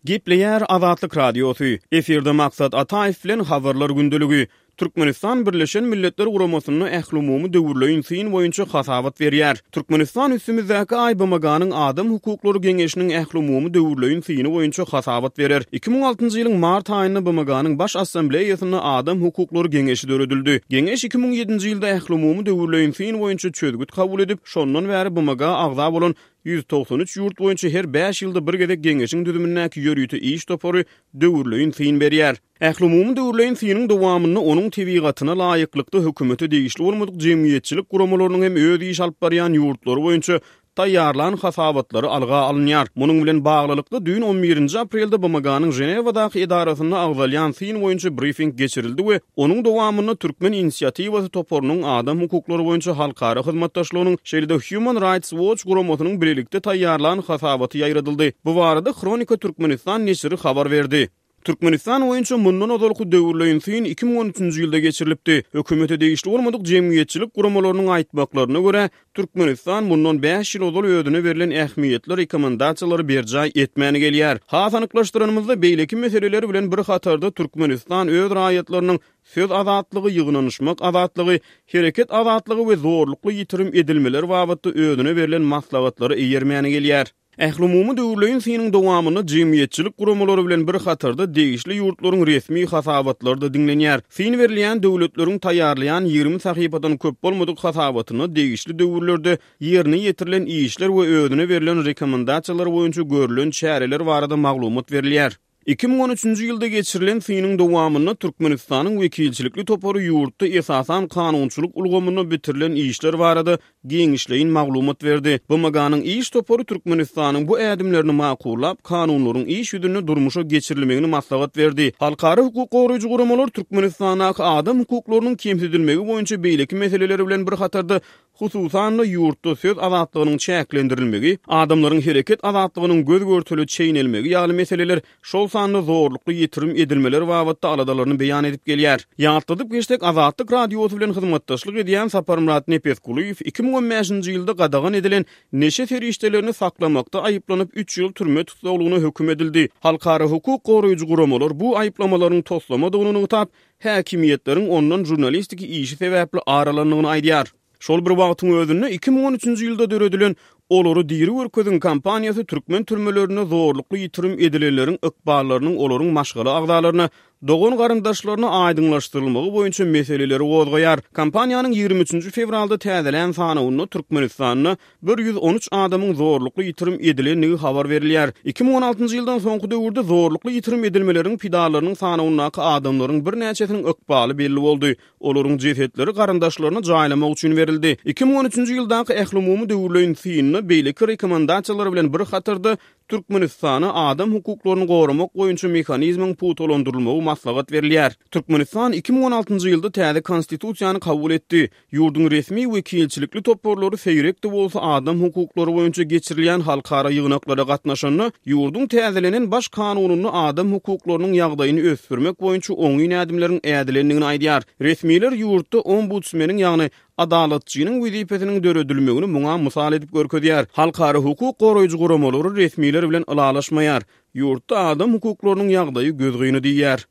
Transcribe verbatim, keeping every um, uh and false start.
Gepleýär Azatlyk Radiosy. Efirde Maksat Ataýew bilen Habarlar gündeligi. Türkmenistan Birleşen Milletler Guramasynda ählumumy döwürleýin syn boýunça hasabat berýär. Türkmenistan üstümizdäki aý B M G-nyň Adam hukuklary geňeşiniň ählumumy döwürleýin syny boýunça hasabat berer. iki müň altynjy ýylyň mart aýynda B M G-nyň Baş Assambleýasynda Adam hukuklary geňeşi döredildi. Geňeş iki müň ýedinji ýylda ählumumy döwürleýin syn boýunça çözgüt kabul edip, şondan bäri B M G agza bolan ýüz togsan üç ýurt boýunça her bäş ýylda bir gezek geňeşiň düzümindäki ýörite iş topary döwürleýin syn berýär. Ählumumy döwürleýin synyň dowamynda onuň tebigatyna laýyklykda hökümete degişli bolmadyk jemgyýetçilik guramalarynyň hem öz iş alyp barýan ýurtlary boýunça taýýarlan hasabatlary alga alynýar. Munuň bilen baglylykda düýn on birinji aprelde B M G-nyň Ženewadaky edarasynda agzalýan syn boýunça brifing geçirildi we onuň dowamynda Türkmen inisiatiwasy toparynyň, adam hukuklary boýunça halkara hyzmatdaşlygynyň, şeýle-de Human Rights Watch guramasynyň birlikde taýýarlan hasabaty ýaýradyldy. Bu barada Hronika Türkmenistan neşiri habar berdi. Türkmenistan boýunça mundan ozalky döwürleýin syn iki müň on üçünji ýylda geçirilipdi. Hökümete degişli bolmadyk jemgyýetçilik guramalarynyň aýtmaklaryna görä, Türkmenistan mundan bäş ýyl ozal özüne berlen ähmiýetli rekomendasiýalary berjaý etmäni gelýär. Has anyklaşdyranymyzda, beýleki meseleler bilen bir hatarda Türkmenistan öz raýatlarynyň söz azatlygy, ýygnanyşmak azatlygy, hereket azatlygy we zorlukly ýitirim edilmeler babatda özüne berlen maslahatlary eýermäni gelýär. Ählumumy döwürleýin synyň dowamynda jemgyýetçilik guramalary bilen bir hatarda degişli ýurtlaryň resmi hasabatlary da diňlenýär. Syn berilýän döwletleriň taýýarlaýan ýigrimi sahypadan köp bolmadyk hasabatyna degişli döwürlerde ýerine ýetirilen işler we özüne berlen rekomendasiýalar boýunça görülen çäreler barada maglumat berilýär. iki müň on üçünji ýylda geçirilen synyň dowamynda Türkmenistanyň wekilçilikli topary ýurtda esasan kanunçylyk ulgamynda bitirilen işler barada giňişleýin maglumat berdi. B M G-nyň iş topary Türkmenistanyň bu ädimlerini makullap, kanunlaryň iş ýüzünde durmuşa geçirilmegini maslahat berdi. Halkara hukuk goraýjy guramalar Türkmenistandaky adam hukuklarynyň kemsidilmegi boýunça beýleki meseleleri bilen bir hatarda, hususan-da ýurtda söz azatlygynyň çäklendirilmegi, adamlaryň hereket azatlygynyň göz görtele çeýnelmegi ýaly meseleler, şol sanda zorlukly ýitirim edilmeler babatda aladalaryny beýan edip gelýär. Ýatladyp geçsek, Azatlyk Radiosy bilen hyzmatdaşlyk edýän Saparmyrat Nepesgulyýew iki müň on bäşinji ýylda gadagan edilen neşe serişdelerini saklamakda aýyplanyp, üç ýyl türme tussaglygyna höküm edildi. Halkara hukuk goraýjy guramalar bu aýyplamalaryň toslamadygyny nygtap, häkimiýetleriň ondan žurnalistiki işi sebäpli ar alandygyny aýdýar. Şol bir wagtyň özünde iki müň on üçünji ýylda döredilen "Olary diri görkeziň" kampaniýasy türkmen türmelerinde zorlukly ýitirim edilenleriň ykballarynyň olaryň maşgala agzalaryna, dogan garyndaşlaryna aýdyňlaşdyrylmagy boýunça meseleleri gozgaýar. Kampaniýanyň ýigrimi üçünji fewralda täzelän sanawynda Türkmenistanda bir ýüz on üç adamyň zorlukly ýitirim edilendigi habar berilýär. iki müň on altynjy ýyldan soňky döwürde zorlukly ýitirim edilmeleriň pidalarynyň sanawyndaky adamlaryň birnäçesiniň ykbaly belli boldy. Olaryň jesetleri garyndaşlaryna jaýlamak üçin berildi. iki müň on üçünji ýyldaky ählumumy döwürleýin synda beýleki rekomendasiýalar bilen bir hatarda Türkmenistana adam hukuklaryny goramak boýunça mehanizmiň pugtalandyrylmagy maslahat berilýär. Türkmenistan iki müň on altynjy ýylda täze konstitusiýany kabul etdi. Ýurduň resmi wekilçilikli toparlary seýrek-de bolsa adam hukuklary boýunça geçirilýän halkara ýygnaklara gatnaşanda, ýurduň täzelenen baş kanunynda adam hukuklarynyň ýagdaýyny ösdürmek boýunça oňyn ädimleriň ädilendigini aýdýar. Resmiler ýurtda ombudsmeniň, ýagny adalatçynyň wezipesiniň döredilmegini muňa mysal edip görkezýär. Halkara hukuk goraýjy guramalary resmiler bilen ylalaşmaýar. Ýurtda adam hukuklarynyň ýagdaýy gözgyny diýýär.